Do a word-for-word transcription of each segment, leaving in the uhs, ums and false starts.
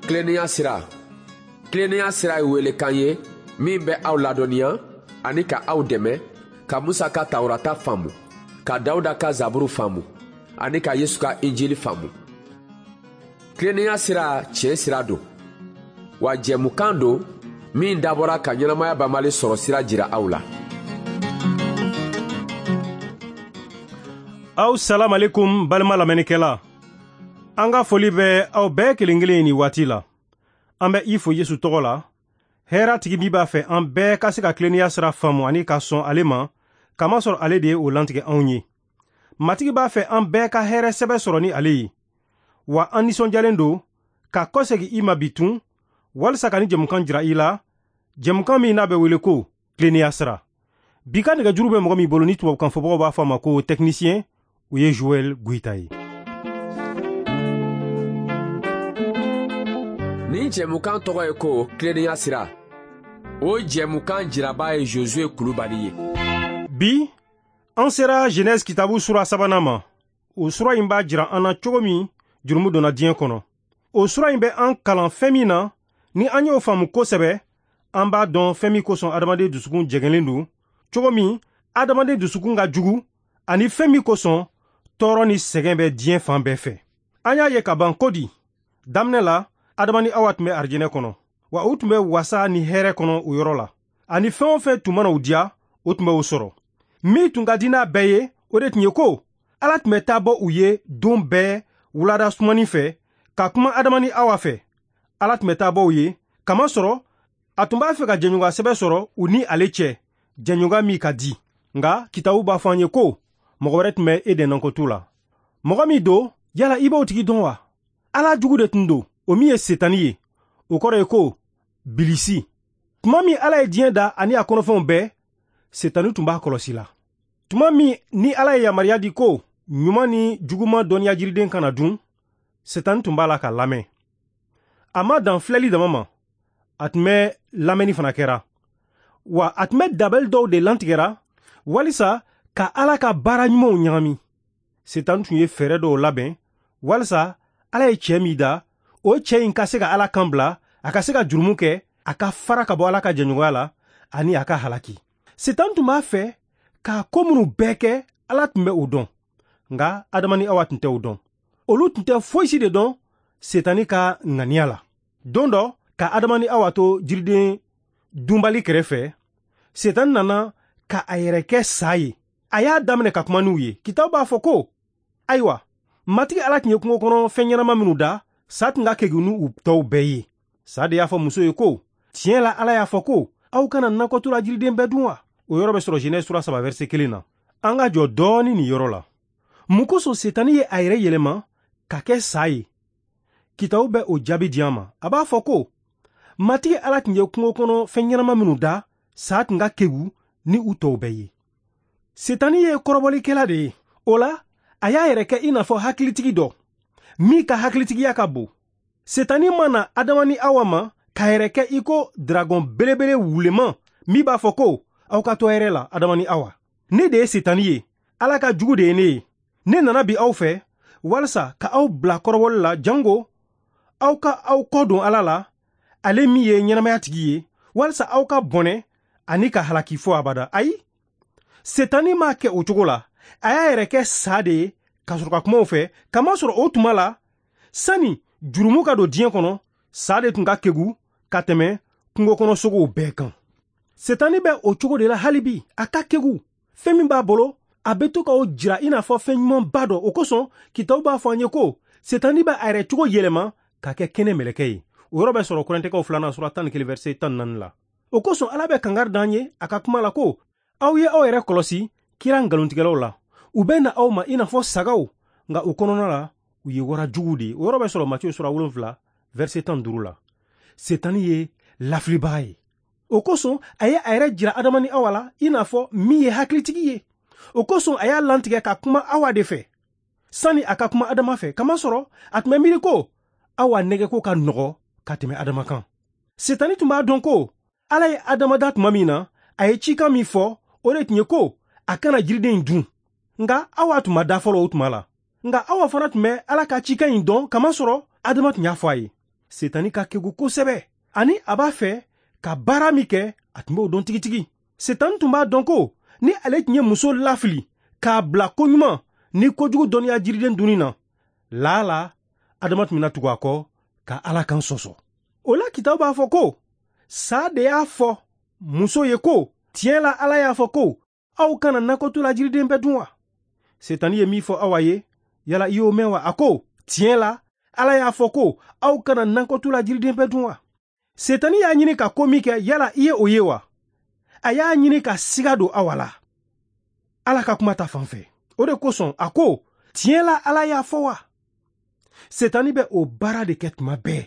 Tilennenya sira. Tilennenya sira ye welekan ye min bɛ aw ladɔnniya ani ka aw dɛmɛ ka Musa ka Tawurata faamu, ka Dawuda ka Zaburu faamu ani ka Yesu ka Injili faamu. Tilennenya sira tiɲɛ sira don, wa jɛmukan don min dabɔra ka ɲɛnamaya banbali sɔrɔ sira jira aw la. Aw salam alaikum balima lamɛnnikɛla. An ka foli bɛ aw bɛɛ kelen kelen nin waati la. An bɛ i fo Yesu tɔgɔ la. Hɛrɛ tigi min b'a fɛ an bɛɛ ka se ka tilennenya sira faamu ani ka sɔn ale ma, kamasɔrɔ ale de ye o lantigɛ anw ye. Matigi b'a fɛ an bɛɛ ka hɛrɛ sɛbɛ sɔrɔ ni ale ye. Wa an nisɔndiyalen don ka kɔsegin i ma bi tun walisa ka ni jɛmukan jira i la, jɛmukan min n'a bɛ wele ko tilennenya sira. Bi ka nɛgɛjuru bɛ mɔgɔ min bolo ni tubabukan fɔbagaw b'a fɔ a ma ko technicien, o ye Joël Goïta ye. Nin jɛmukan tɔgɔ ye ko tilennenya sira. O jɛmukan jiraba ye Josué Kulubali ye. Bi an sera Genèse kitabu sura sabanan ma. O sura in b'a jira an na cogo min jurumu donna diɲɛ kɔnɔ. O sura in bɛ an kalan fɛn min na, ni an y'o faamu kosɛbɛ, an b'a dɔn fɛn min kosɔn adamaden dusukun jɛngɛlen don, cogo min adamaden dusukun ka jugu, ani fɛn min kosɔn tɔɔrɔ ni sɛgɛn bɛ diɲɛ fan bɛɛ fɛ. An y'a ye ka ban ko di, daminɛ la Adama ni Awa tun bɛ arijinɛ kɔnɔ, wa u tun bɛ wasa ni hɛrɛ kɔnɔ o yɔrɔ la, ani fɛn o fɛn tun mana u diya, o tun bɛ o sɔrɔ. Min tun ka di n'a bɛɛ ye, o de tun ye ko Ala tun bɛ taa bɔ u ye don bɛɛ wulada sumani fɛ ka kuma Adama ni Awa fɛ. Ala tun bɛ taa bɔ u ye, kamasɔrɔ a tun b'a fɛ ka jɛɲɔgɔnya sɛbɛ sɔrɔ u ni ale cɛ, jɛɲɔgɔnya min ka di. Nka kitabu b'a fɔ an ye ko mɔgɔ wɛrɛ tun bɛ Eden nakɔtu la. Mɔgɔ min don, yala i b'o tigi dɔn wa? Ala jugu de tun don, o min ye Setani ye. O kɔrɔ ye ko bilisi. Tuma min Ala ye diɲɛ da ani a kɔnɔfɛnw bɛɛ, Setani tun b'a kɔlɔsi la. Tuma min ni Ala ye yamaruya di ko ɲuman ni juguman dɔnniya jiriden kana dun, Setani tun b'a la ka lamɛn. A ma dan filɛli dama ma, a tun bɛ lamɛnni fana kɛra. Wa a tun bɛ dabali dɔw de lantigɛra walisa ka Ala ka baara ɲumanw ɲagami. Setani tun ye fɛɛrɛ dɔw labɛn walisa Ala ye cɛ min da, o cɛ in ka se ka Ala kan bila, a ka se ka jurumu kɛ, a ka fara ka bɔ Ala ka jɛɲɔgɔnya la ani a ka halaki. Setani tun b'a fɛ k'a ko minnu bɛɛ kɛ, Ala tun bɛ o dɔn. Nka Adama ni Awa tun tɛ o dɔn. Olu tun tɛ foyi si de dɔn Setani ka ŋaniya la. Don dɔ, ka Adama ni Awa to jiriden dunbali kɛrɛfɛ, Setani nana ka a yɛrɛ kɛ sa ye. A y'a daminɛ ka kuma n'u ye. Kitabu b'a fɔ ko, ayiwa, Matigi Ala tun ye kungo kɔnɔ fɛn ɲɛnama minnu da, sa tun ka kegun n'u tɔw bɛɛ ye. Sa de y'a fɔ muso ye ko, tiɲɛ la Ala y'a fɔ ko, aw kana nakɔtu la jiriden bɛɛ dun wa? O yɔrɔ bɛ sɔrɔ Genèse sura saba verset kelen na. An ka jɔ dɔɔni nin yɔrɔ la. Mun kosɔn Setani ye a yɛrɛ yɛlɛma ka kɛ sa ye? Kitabu bɛ o jaabi di an ma. A b'a fɔ ko, Matigi Ala tun ye kungo kɔnɔ fɛn ɲɛnama minnu da, sa tun ka kegun ni u tɔw bɛɛ ye. Setani ye kɔrɔbɔlikɛla de ye. O la, a y'a yɛrɛ kɛ i n'a fɔ hakilitigi dɔ, min ka hakilitigiya ka bon. Setani ma na Adama ni Awa ma k'a yɛrɛ kɛ i ko dragon belebele wuleman min b'a fɔ ko, aw ka to hɛrɛ la, Adama ni Awa. Ne de ye Setani ye, Ala ka jugu de ye ne ye. Ne nana bi aw fɛ walisa ka aw bila kɔrɔbɔli la, jango aw ka aw kɔ don Ala la, ale min ye ɲɛnamaya tigi ye, walisa aw ka bɔnɛ ani ka halaki fo abada. Ayi, Setani m'a kɛ o cogo la. A y'a yɛrɛ kɛ sa de ye ka sɔrɔ ka kuma o fɛ, kamasɔrɔ o tuma la, sani jurumu ka don diɲɛ kɔnɔ, sa de tun ka kegun ka tɛmɛ kungo kɔnɔ sogow bɛɛ kan. Setani bɛ o cogo de la hali bi, a ka kegun. Fɛn min b'a bolo, a bɛ to k'o jira i n'a fɔ fɛn ɲumanba dɔ. O kosɔn, kitabu b'a fɔ an ye ko Setani bɛ a yɛrɛ cogo yɛlɛma ka kɛ kɛnɛ mɛlɛkɛ ye. O yɔrɔ bɛ sɔrɔ Kɔrɛntɛkaw filanan sura tan ni kelen verset tan ni naani la. O kosɔn Ala bɛ kangari d'an ye a ka kuma la ko, aw ye aw yɛrɛ kɔlɔsi kira nkalontigɛlaw la. U bɛ na aw ma i n'a fɔ sagaw, nka u kɔnɔna la u ye wara juguw de ye. O yɔrɔ bɛ sɔrɔ Matiyu sura wolonfila verset tan ni duuru la. Setani ye lafilibaga ye. O kosɔn a ye a yɛrɛ jira Adama ni Awa la i n'a fɔ min ye hakilitigi ye. O kosɔn a y'a lantigɛ ka kuma Awa de fɛ sani a ka kuma Adama fɛ, kamasɔrɔ a tun bɛ miiri ko Awa nɛgɛko ka nɔgɔ ka tɛmɛ Adama kan. Setani tun b'a dɔn ko Ala ye Adama da tuma min na, a ye cikan min fɔ, o de tun ye ko a kana jiriden in dun. Nka Awa tun ma da fɔlɔ o tuma la. Nka Awa fana tun bɛ Ala ka cikan in dɔn, kamasɔrɔ Adama tun y'a fɔ a ye. Setani ka kegu kosɛbɛ, ani a b'a fɛ ka baara min kɛ, a tun b'o dɔn tigitigi. Setani tun b'a dɔn ko ni ale tun ye muso lafili k'a bila koɲuman ni kojugu dɔnniya jiriden dunni na, laala Adama tun bɛna tugu a kɔ ka Ala kan sɔsɔ. O la kitabu b'a fɔ ko sa de y'a fɔ muso ye ko tiɲɛ la Ala y'a fɔ ko aw kana nakɔtu la jiriden bɛɛ dun wa? Setani ye min fɔ Awa ye, yala i y'o mɛn wa? A ko tiɲɛ la Ala y'a fɔ ko aw kana nakɔtu la jiriden bɛɛ dun wa? Setani y'a ɲini ka ko min kɛ, yala i ye o ye wa? A y'a ɲini ka siga don Awa la Ala ka kuma ta fan fɛ. O de kosɔn a ko tiɲɛ la Ala y'a fɔ wa? Setani bɛ o baara de kɛ tuma bɛɛ.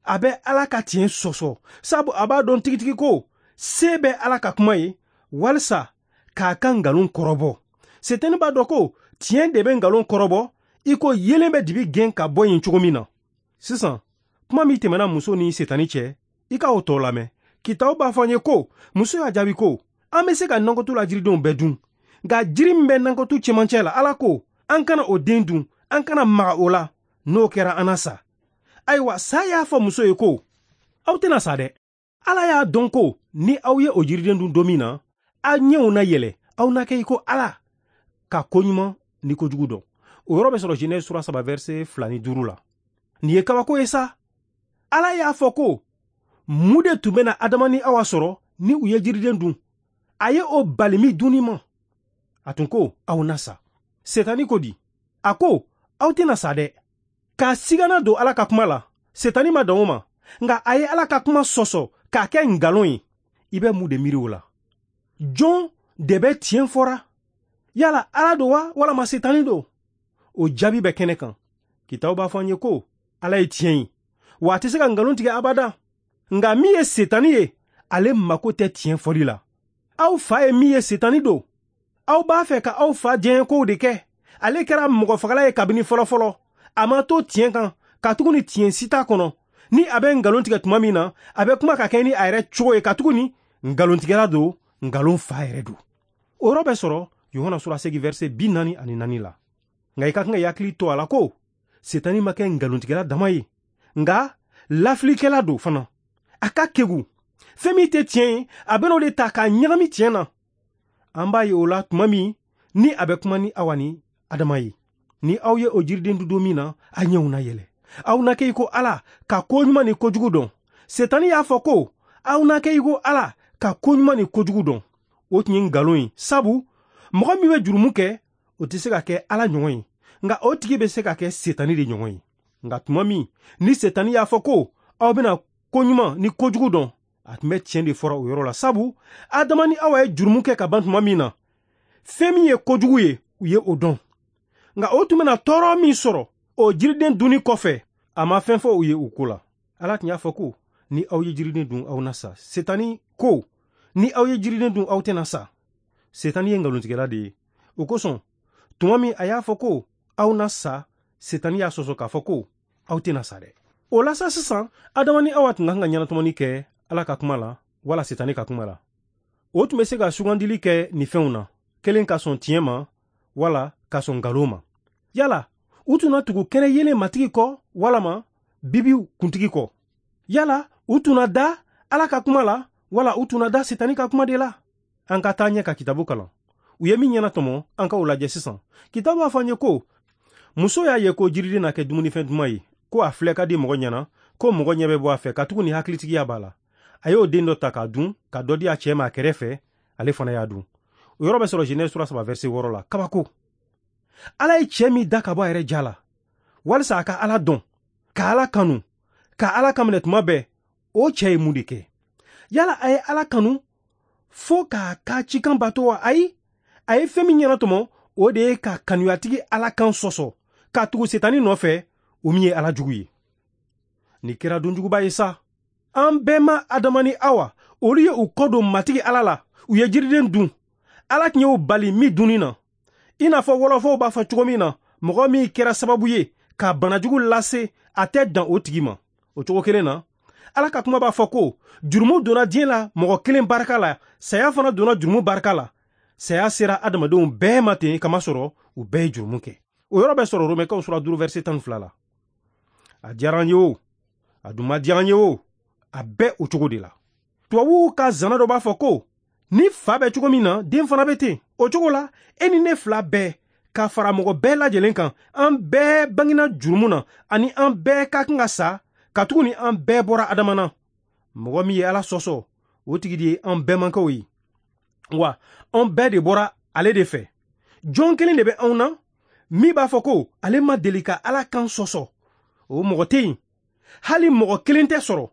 A bɛ Ala ka tiɲɛ sɔsɔ, sabu a b'a dɔn tigitigi ko se bɛ Ala ka kuma ye walisa k'a ka nkalon kɔrɔbɔ. Setani b'a dɔn ko tiɲɛ de bɛ nkalon kɔrɔbɔ i ko yelen bɛ dibi gɛn ka bɔ yen cogo min na. Sisan, kuma min tɛmɛna muso ni Setani cɛ, i ka o tɔ lamɛn. Kitabu b'a fɔ an ye ko muso y'a jaabi ko an bɛ se ka nakɔtu la jiridenw bɛɛ dun, nka jiri min bɛ nakɔtu cɛmancɛ la, Ala ko an kana o den dun, an kana maga o la, n'o kɛra an na sa. Ayiwa, sa y'a fɔ muso ye ko aw tɛna sa dɛ. Ala y'a dɔn ko ni aw ye o jiriden dun don min na, aw ɲɛw na yɛlɛ, aw na kɛ i ko Ala ka koɲuman ni kojugu dɔn. O yɔrɔ bɛ sɔrɔ Genèse sura saba verset fila ni duuru la. Nin ye kabako ye sa. Ala y'a fɔ ko mun de tun bɛna Adama ni Awa sɔrɔ ni u ye jiriden dun? A ye o bali min dunni ma. A tun ko aw na sa. Setani ko di? A ko aw tɛna sa dɛ. K'a sigana don Ala ka kuma la, Setani ma dan o ma, nka a ye Ala ka kuma sɔsɔ k'a kɛ nkalon ye. I bɛ mun de miiri o la? Jɔn de bɛ tiɲɛ fɔra? Yala Ala don wa, walama Setani don? O jaabi bɛ kɛnɛ kan. Kitabu b'a fɔ an ye ko Ala ye tiɲɛ ye, wa a tɛ se ka nkalon tigɛ abada. Nka min ye Setani ye, ale mako tɛ tiɲɛ fɔli la. Aw fa ye min ye, Setani don. Aw b'a fɛ ka aw fa diɲɛkow de kɛ. Ale kɛra mɔgɔfagala ye kabini fɔlɔfɔlɔ. A ma to tiɲɛ kan, katuguni tiɲɛ si t'a kɔnɔ. Ni a bɛ nkalon tigɛ tuma min na, a bɛ kuma ka kɛ ni a yɛrɛ cogo ye, katuguni nkalontigɛla don, nkalon fa yɛrɛ don. O yɔrɔ bɛ sɔrɔ Yohana sura seegin verset bi naani ani naani la. Nka i ka kan ka hakili to a la ko Setani ma kɛ nkalontigɛla dama ye, nka lafilikɛla don fana. A ka kegu, fɛn min tɛ tiɲɛ ye, a bɛna o de ta k'a ɲagami tiɲɛ na. An b'a ye o la tuma min ni a bɛ kuma ni Awa ni Adama ye. Ni aw ye o jiriden dun don min na, a ɲɛw na yɛlɛ. Aw na kɛ i ko Ala ka ko ɲuman ni kojugu dɔn. Setani y'a fɔ ko aw na kɛ i ko Ala ka ko ɲuman ni kojugu dɔn. O tun ye nkalon ye, sabu mɔgɔ min bɛ jurumu kɛ, o tɛ se ka kɛ Ala ɲɔgɔn ye, nka o tigi bɛ se ka kɛ Setani de ɲɔgɔn ye. Nka tuma min ni Setani y'a fɔ ko aw bɛna ko ɲuman ni kojugu dɔn, a tun bɛ tiɲɛ de fɔra o yɔrɔ la, sabu Adama ni Awa ye jurumu kɛ ka ban tuma min na, fɛn min ye kojugu ye, u ye o dɔn. Nka o tun bɛna tɔɔrɔ min sɔrɔ o jiriden dunni kɔfɛ, a ma fɛn fɔ u ye o ko la. Ala tun y'a fɔ ko ni aw ye jiriden dun, aw na sa. Setani ko ni aw ye jiriden dun, aw tɛna sa. Setani ye nkalontigɛla de ye. O kosɔn, tuma min a y'a fɔ ko aw na sa, Setani y'a sɔsɔ k'a fɔ ko aw tɛna sa dɛ. O la sa sisan, Adama ni Awa tun ka kan ka ɲɛnatɔmɔni kɛ Ala ka kuma la wala Setani ka kuma la. O tun bɛ se ka sugandili kɛ nin fɛnw na, kelen ka sɔn tiɲɛ ma wala ka sɔn nkalon ma. Yala u tun na tugu kɛnɛ yelen matigi kɔ walama bibiw kuntigi kɔ? Yala u tun na da Ala ka kuma la wala u tun na da Setani ka kuma de la? An ka taa ɲɛ ka kitabu kalan. U ye min ɲɛnatɔmɔ, an ka o lajɛ sisan. Kitabu b'a fɔ an ye ko muso y'a ye ko jiriden na kɛ dumunifɛn duman ye, ko a filɛ ka di mɔgɔ ɲɛna, ko mɔgɔ ɲɛ bɛ bɔ a fɛ, katuguni hakilitigiya b'a la. A y'o den dɔ ta k'a dun, ka dɔ di a cɛ ma a kɛrɛfɛ, ale fana y'a dun. O yɔrɔ bɛ sɔrɔ Genèse sura saba verset wɔɔrɔ la. Kabako. Ala ye cɛ min da ka bɔ a yɛrɛ ja la, walisa a ka Ala dɔn, ka Ala kanu, ka Ala kaminɛ tuma bɛɛ, o cɛ ye mun de kɛ? Yala a ye Ala kanu fo k'a ka cikan bato wa? Ayi, a ye fɛn min ɲɛnatɔmɔ, o de ye ka kanuyatigi Ala kan sɔsɔ, ka tugu Setani nɔfɛ, o min ye Ala jugu ye. Nin kɛra donjuguba ye sa. An bɛɛ ma Adama ni Awa, olu ye u kɔ don matigi Ala la, u ye jiriden dun. Ala tun y'o bali min dunni na. I n'a fɔ wɔlɔfɔw b'a fɔ cogo min na, mɔgɔ min kɛra sababu ye ka banajugu lase, a tɛ dan o tigi ma. O cogo kelen na, Ala ka kuma b'a fɔ ko jurumu donna diɲɛ la mɔgɔ kelen barika la, saya fana donna jurumu barika la. Saya sera adamadenw bɛɛ ma ten, kamasɔrɔ u bɛɛ ye jurumu kɛ. O yɔrɔ bɛ sɔrɔ Romɛkaw sura duuru verset tan ni fila la. A diyara an ye o, A dun ma diya an ye o, a bɛɛ o cogo de la. Tubabuw ka zana dɔ b'a fɔ ko ni fa bɛ cogo min na, den fana bɛ ten. O cogo la, e ni ne fila bɛɛ ka fara mɔgɔ bɛɛ lajɛlen kan, an bɛɛ bangena jurumu na, ani an bɛɛ ka kan ka sa, katuguni an bɛɛ bɔra Adama na. Mɔgɔ min ye Ala sɔsɔ, o tigi de ye an bɛɛmankaw ye. Wa an bɛɛ de bɔra ale de fɛ. Jɔn kelen de bɛ anw na min b'a fɔ ko ale ma deli ka Ala kan sɔsɔ. O mɔgɔ tɛ yen. Hali mɔgɔ kelen tɛ sɔrɔ.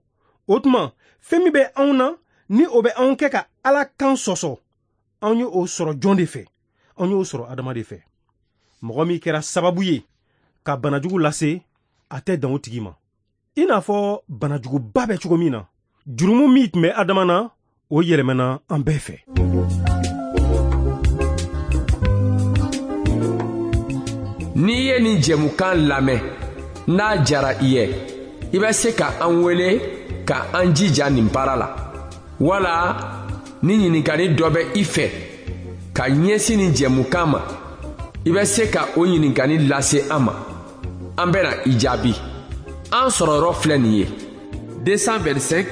O tuma, fɛn min bɛ anw na ni o bɛ anw kɛ ka Ala kan sɔsɔ, anw ye o sɔrɔ jɔn de fɛ? Anw y'o sɔrɔ Adama de fɛ. Mɔgɔ min kɛra sababu ye ka banajugu lase, a tɛ dan o tigi ma. I n'a fɔ banajuguba bɛ cogo min na, jurumu min tun bɛ Adama na, o yɛlɛmana an bɛɛ fɛ. N'i ye nin jɛmukan lamɛn, n'a diyara i ye, i bɛ se ka an wele ka an jija nin baara la. Wala ni ɲininkali dɔ bɛ i fɛ ka ɲɛsin nin jɛmukan ma, i bɛ se ka o ɲininkali lase an ma. An bɛna i jaabi. An sɔrɔyɔrɔ filɛ nin ye: deux cent vingt-cinq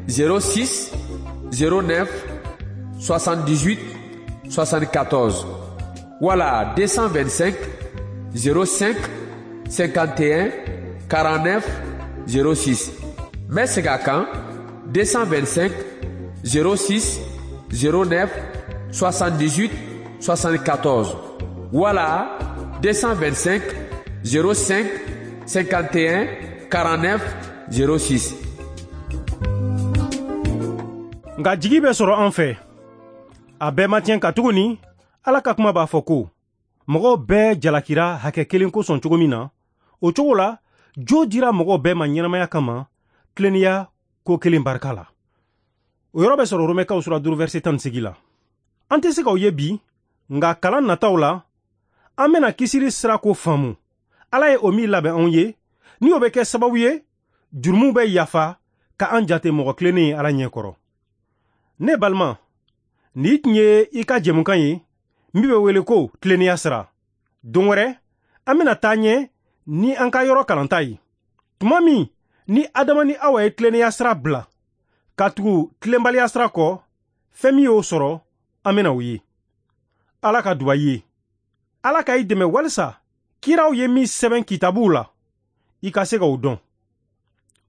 zéro six zéro neuf soixante-dix-huit soixante-quatorze wala deux cent vingt-cinq zéro cinq cinquante et un quarante-neuf zéro six. N bɛ segin a kan: deux cent vingt-cinq zéro six zéro neuf soixante-dix-huit soixante-quatorze wala deux cent vingt-cinq zéro cinq cinquante et un quarante-neuf zéro six. Nka jigi bɛ sɔrɔ an fɛ. A bɛɛ ma tiɲɛ katuguni Ala ka kuma b'a fɔ ko mɔgɔw bɛɛ jalakira hakɛ kelen kosɔn cogo min na, o cogo la jo dira mɔgɔw bɛɛ ma ɲɛnamaya kama tilennenya ko kelen barika la. O yɔrɔ bɛ sɔrɔ Romɛkaw sura duuru verset tan ni seegin la. An tɛ se k'o ye bi, nka kalan nataw la, an bɛna kisili sira ko faamu. Ala ye o min labɛn anw ye, ni o bɛ kɛ sababu ye, jurumu bɛ yafa ka an jate mɔgɔ tilennen ye Ala ɲɛ kɔrɔ. Ne balima, nin tun ye i ka jɛmukan ye min bɛ wele ko tilennenya sira. Don wɛrɛ, an bɛna taa ɲɛ ni an ka yɔrɔ kalanta ye. Tuma min ni Adama ni Awa ye tilennenya sira bila ka tugu tilenbaliya sira kɔ, fɛn min y'o sɔrɔ, an bɛna o ye. Ala ka duba i ye. Ala ka i dɛmɛ walisa kiraw ye min sɛbɛn kitabuw la, i ka se k'o dɔn.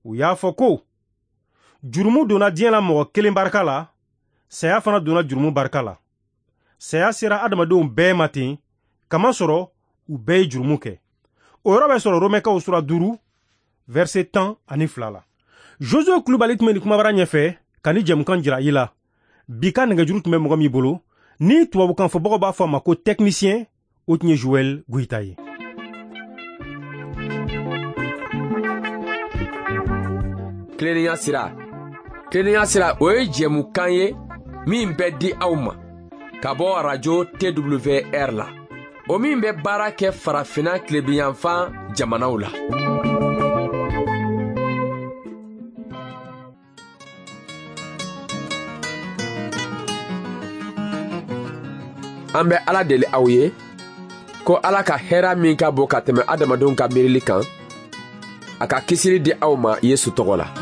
U y'a fɔ ko jurumu donna diɲɛ la mɔgɔ kelen barika la, saya fana donna jurumu barika la. Saya sera adamadenw bɛɛ ma ten, kamasɔrɔ u bɛɛ ye jurumu kɛ. O yɔrɔ bɛ sɔrɔ Romɛkaw sura duuru verset tan ani fila la. Josué Kulubali tun bɛ nin kumabara ɲɛfɛ ka ni jɛmukan jira i la. Bi ka nɛgɛjuru tun bɛ mɔgɔ min bolo, ni tubabukan fɔbagaw b'a fɔ a ma ko technicien, o tun ye Joël Goyita ye. Tilennenya sira. Tilennenya sira, o ye jɛmukan ye min bɛ di aw ma ka bɔ arajo T W R la, o min bɛ baara kɛ farafinna tilebinyanfan jamanaw la. An bɛ Ala deli aw ye ko Ala ka hɛrɛ min ka bon ka tɛmɛ adamadenw ka miirili kan, a ka kisili di aw ma Yesu tɔgɔ la.